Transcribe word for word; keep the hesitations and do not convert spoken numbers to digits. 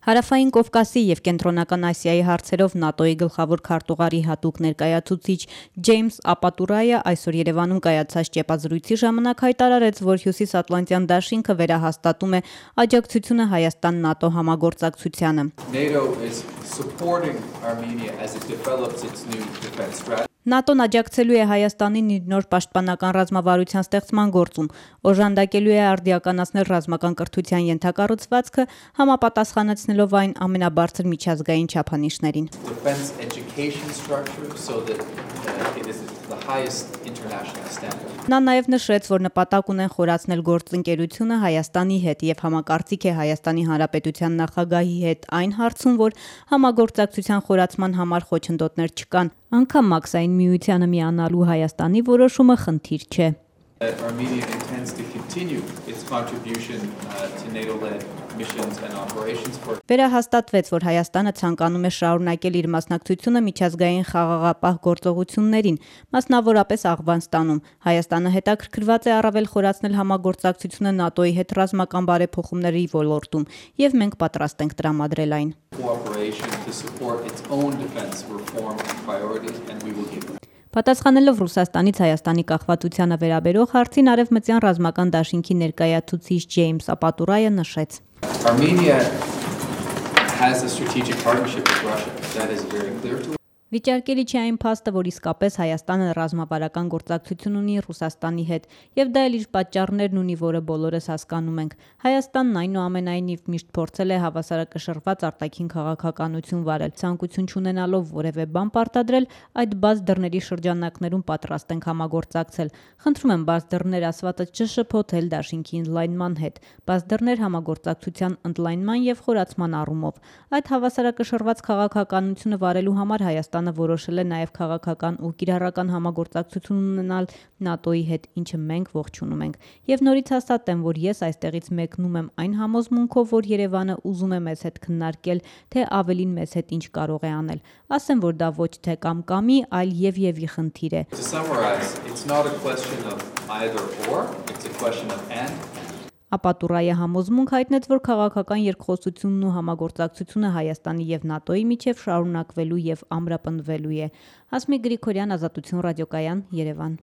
Հարավային Կովկասի և Կենտրոնական Ասիայի հարցերով ՆԱՏՕ-ի գլխավոր քարտուղարի հատուկ ներկայացուցիչ Ջեյմս Ապատուրայը այսօր Երևանում կայացած ճեպազրույցի ժամանակ հայտարարեց, որ Հյուսիսատլանտյան դաշինքը վերահաստատում է աջակցությունը Հայաստան-ՆԱՏՕ համագործակցությանը։ ՆԱՏՕ-ն աջակցելու է Հայաստանին իր նոր պաշտպանական ռազմավարության ստեղծման գործում, օժանդակելու է արդիականացնել ռազմական կրթության ենթակառուցվածքը, համապատասխանեցնելով այն ամենաբարձր միջազգային չափանիշներին։ Նա նաև նշեց, որ նպատակ ունեն խորացնել գործընկերությունը Հայաստանի հետ և համակարծիք է Հայաստանի Հանրապետության նախագահի հետ այն հարցում, որ համագործակցության խորացման համար խոչընդոտներ չկան, անգամ Մաքսային միությանը միանալու Հայաստանի որոշումը խնդիր չէ։ Վերահաստատվեց, որ Հայաստանը ցանկանում է շարունակել իր մասնակցությունը միջազգային խաղաղապահ գործողություններին, մասնավորապես Աֆղանստանում։ Հայաստանը հետաքրքրված է առավել խորացնել համագործակցությունը ՆԱՏՕ-ի հետ ռազմական բարեփոխումների ոլորտում, և մենք պատրաստ ենք տրամադրել այն։ Պատասխանելով Ռուսաստանից Հայաստանի կախվածությանը վերաբերող հարցին, Արևմտյան ռազմական դաշինքի ներկայացուցիչ Ջեյմս Ապատուրայը նշեց. Վիճարկելի չէ այն փաստը, որ իսկապես Հայաստանը ռազմավարական գործակցություն ունի Ռուսաստանի հետ, և դա էլ իր պատճառներն ունի, որը բոլորս հասկանում ենք։ Հայաստանն այնուամենայնիվ միշտ փորձել է հավասարակշռված արտաքին քաղաքականություն վարել, ցանկություն չունենալով որևէ բան պարտադրել, այդ բաց դռների շրջանակներում պատրաստ ենք համագործակցել։ Խնդրում եմ բաց դռներ ասվածը չշփոթել դաշինքի ընդլայնման հետ, բաց դռներ համագործակցության ընդլայնման և խորացման առումով։ Այդ հավասարակշռված քաղաքականությունը վարելու համար Հայաստանը որոշել է նաև քաղաքական ու կիրառական համագործակցություն ունենալ ՆԱՏՕ-ի հետ, ինչը մենք ողջունում ենք։ Եվ նորից հաստատեմ, որ ես այստեղից մեկնում եմ այն համոզմունքով, որ Երևանը ուզում է մեզ հետ քննարկել, թե ավելին մեզ հետ ինչ կարող է անել։ Ասեմ, որ դա ոչ թե կամ-կամի, այլ և-եւի խնդիր է։ Ապատուրայը համոզմունք հայտնեց, որ քաղաքական երկխոսությունն ու համագործակցությունը Հայաստանի և ՆԱՏՕ-ի միջև շարունակվելու և ամրապնդվելու է։ Հասմիկ Գրիգորյան, Ազատություն ռադիոկայան, Երևան։